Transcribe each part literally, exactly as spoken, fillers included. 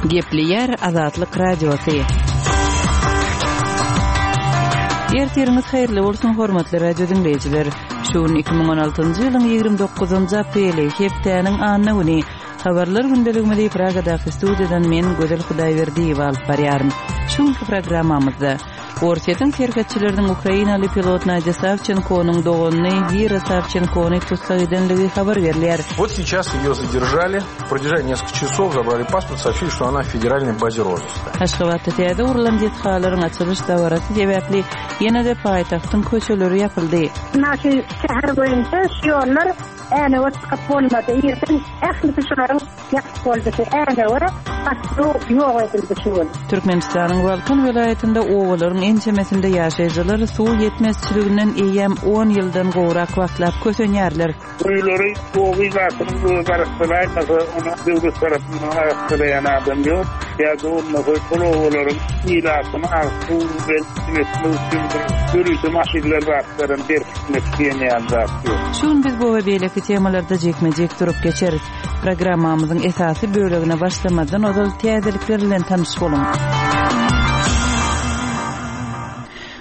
Gepleýär Azatlyk Radiosy. Ertiriňiz haýyrly bolsun, hormatly radio diňleýjiler. Şu gün iki müň on altynjy ýylyň ýigrimi dokuzynjy apreli, hepdäniň anna güni. Habarlar gündeligimizi Pragadaky studiýadan men Gözel Hudaýberdiýewa alyp barýaryn. Şu günki programmamyzda Orsýetiň serhetçileriniň ukrainaly pilot Nadýa Sawçenkonyň doganyny Wira Sawçenkony tussag edenligi habar berilýär. Вот сейчас ее задержали, продержали несколько часов, забрали паспорт, сообщили, что она в федеральной базе розыска. Aşgabatda täze gurlan desgalaryň açylyş dabarasy sebäpli ýene-de paýtagtyň köçeleri ýapyldy. Naşy şäher boýunça şu ýollar Änewe çykyp bolmady. Irden ählisi şularyň ýapyk boldy. Änewe gatnaw ýok edildi şu gün. Türkmenistanyň Balkan welaýatynda obalaryň ençemesinde ýaşaýjylar suw ýetmezçiliginden eýýäm on ýyldan gowrak wagtlap kösenýärler. Guýulary oba ilatynyň özi arassalaýmasa, ony döwlet tarapyndan arassalaýan adam ýok. Ýa-da bolmasa şol obalaryň ilatyny agyz suw bilen üpjün etmek üçin bir ýörite maşynlar zatlaryny berkitmek diýen ýaly zat ýok. Şu gün biz bu we beýleki temalarda jikme-jik durup geçeris. Programmamyzyň esasy bölegine başlamazdan ozal täzelikler bilen tanyş boluň.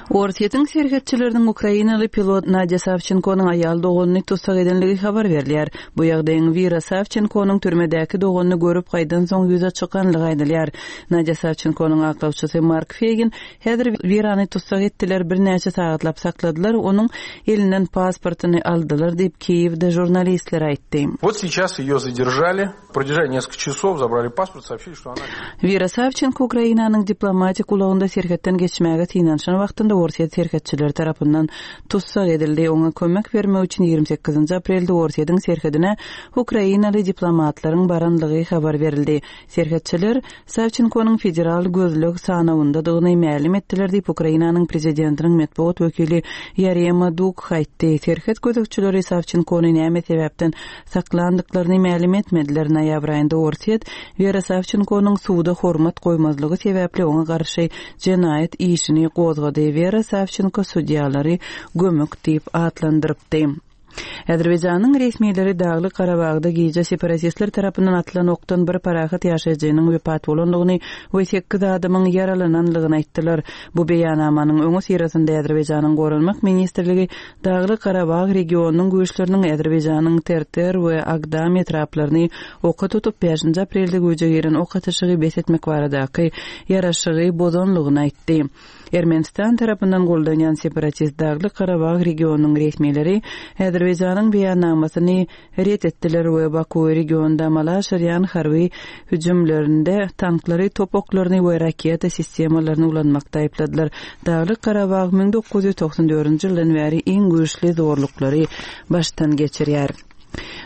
Orsýetiň serhetçileriniň ukrainaly pilot Nadýa Sawçenkonyň aýal doganyny tussag edenligi habar berilýär. Bu ýagdaýyň Wira Sawçenkonyň türmedäki doganyny görüp gaýdan soň ýüze çykanlygy aýdylýar. Nadýa Sawçenkonyň aklawçysy Mark Feýgin häzir Wirany tussag etdiler, birnäçe sagatlap sakladylar, onuň elinden pasportyny aldylar diýip Kiýewde žurnalistler aýtdy. Вот сейчас ее задержали, продержали несколько часов, забрали паспорт, сообщили, что она Wira Sawçenko Ukrainanyň diplomatik ulagynda serhetden geçmäge synanyşan wagtynda Orsýet serhetçileri tarapyndan tussag edildi. Oňa kömek bermek üçin ýigrimi sekizinji aprelde Orsýetiň serhedine ukrainaly diplomatlaryň baranlygy habar berildi. Serhetçiler Sawçenkonyň federal gözleg sanawyndadygyny mälim etdiler diýip Ukrainanyň prezidentiniň metbugat wekili Ýarema Duk aýtdy. Serhet gözegçileri Sawçenkony näme sebäpden saklandyklaryny mälim etmediler. Noýabr aýynda Orsýet Wera Sawçenkonyň suwda hormat goýmazlygy sebäpli oňa garşy jenaýat işini gozgady. Wera Sawçenko sudýalary gömük diýip atlandyrypdy. Azerbaýjanyň resmileri Daglyk Garabagda gije separatistler tarapyndan atylan okdan bir parahat ýaşaýjynyň wepat bolandygyny we sekiz adamyň ýaralanandygyny aýtdylar. Bu beýannamanyň öňi syrasynda Azerbaýjanyň Goranmak ministrligi Daglyk Garabag regionynyň güýçleriniň Azerbaýjanyň Terter we Agdam etraplaryny oka tutup bäşinji aprelde güýje giren ok atyşygy bes etmek baradaky ýaraşygy bozanlygyny aýtdy. Ermenistan tarapyndan goldanýan separatist Daglyk Garabag regionynyň resmileri Azerbaýjanyň beýannamasyny ret etdiler we Baku regionda amala aşyrýan harby hüjümlerinde tanklary, top oklaryny we raketa sistemalaryny ulanmakda aýypladylar. Daglyk Garabag müň dokuz ýüz togsan dördünji ýyldan bäri iň güýçli zorluklary başdan geçirýär.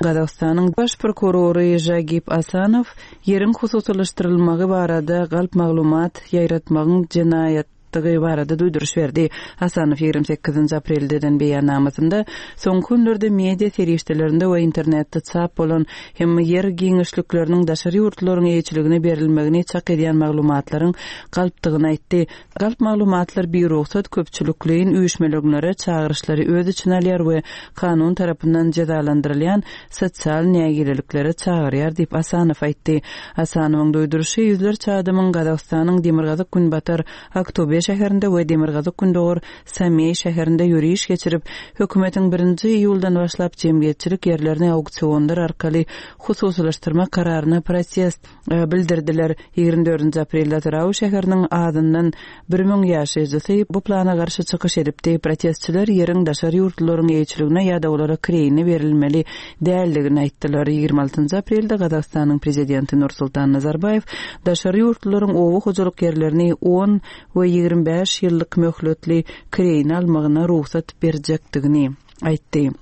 Gazagystanyň baş prokurory Jagip Asanow ýeriň hususylaşdyrylmagy barada galp maglumat ýaýratmagyň jenaýatdygy barada duýduryş berdi. Asanow ýigrimi sekizinji aprelde eden beýannamasynda soňky günlerde media serişdelerinde we internetde çap bolan hem ýer giňişlikleriniň daşary ýurtlaryň eýeçiligine berilmegini çak edýän maglumatlaryň galpdygyny aýtdy. Galp maglumatlar bir rugsat köpçülikleýin üýşmeleňlere çagyryşlary öz içine alýar we kanun tarapyndan jezalandyrylýan sosial nägileliklere çagyrýar diýip Asanow aýtdy. Asanowyň duýduryşy ýüzlerçe adamyň Gazagystanyň Demirgazyk Günbatar Aktobe şäherinde we Demirgazyk Gündogar Sameý şäherinde ýöriş geçirip, hökümetiň birinji iýuldan başlap jemgyýetçilik ýerlerini auksionlar arkaly hususylaşdyrmak kararyna protest, e, bildirdiler. Ýigrimi dördünji aprelde Atyrau şäheriniň adyndan bir müň ýaşaýjysy bu plana garşy çykyş edipdi. Protestçiler ýeriň daşary ýurtlaryň eýeçiligine ýa-da olara kireýine berilmeli däldigini aýtdylar. Ýigrimi altynjy aprelde Gazagystanyň prezidenti Nursultan Nazarbaýew daşary ýurtlaryň oba hojalyk ýerlerini on we ýigrimi bäş ýyllyk möhletli kireýine almagyna rugsat berjekdigini aýtdy.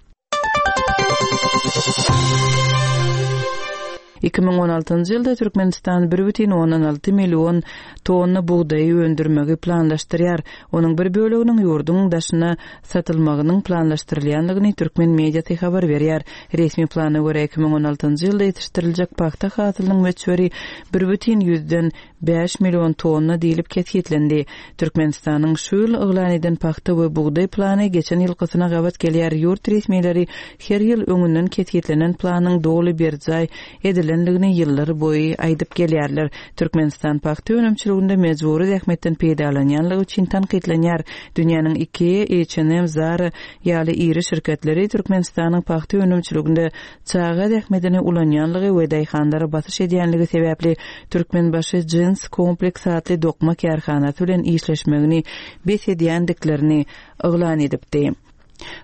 Iki müň on altynjy ýylda Türkmenistan bir bütin ondan alty million tonna bugdaýy öndürmegi planlaşdyrýar. Onuň bir böleginiň ýurduň daşyna satylmagynyň planlaşdyrylýandygyny türkmen mediasy habar berýär. Resmi plana görä iki müň on altynjy ýylda ýetişdiriljek pagta hasylynyň möçberi bir bütin ýüzden bäş million tonna diýlip kesgitlendi. Türkmenistanyň şu ýyl yglan eden pagta we bugdaý plany geçen ýylkysyna gabat gelýär. Ýurt resmileri her ýyl öňünden kesgitlenen planyň doly berjaý edilip edilendigini ýyllar boýy aýdyp gelýärler. Türkmenistan pagta önümçiliginde mejbury zähmetden peýdalanýanlygy üçin tankytlanýar. Dünýäniň Ikea, H and M, Zara ýaly iri şirketleri Türkmenistanyň pagta önümçiliginde çaga zähmetini ulanýanlygy we daýhanlara basyş edýänligi sebäpli Türkmenbaşy Jins Kompleks atly dokma kärhanasy bilen işleşmegini bes edýändiklerini yglan edipdi.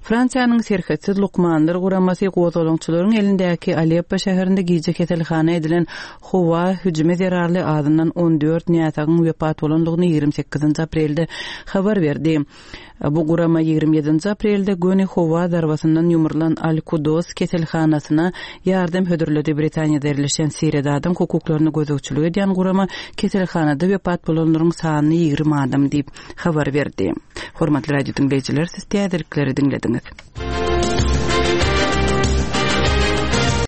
Fransiýanyň Serhetsiz lukmanlar guramasy gozgalaňçylaryň elindäki Aleppo şäherinde gije keselhana edilen howa hüjümi zerarly azyndan on dört näsagyň wepat bolandygyny ýigrimi sekizinji aprelde habar berdi. Bu gurama ýigrimi ýedinji aprelde göni howa zarbasyndan ýumrulan Al-Kudos keselhanasyna ýardam hödürledi. Britaniýada ýerleşen Siriýada adam hukuklaryny gözegçilik edýän gurama keselhanada wepat bolanlaryň sanyny ýigrimi adam diýip habar berdi. Hormatly radio diňleýjiler, siz täzelikleri diňlediňiz.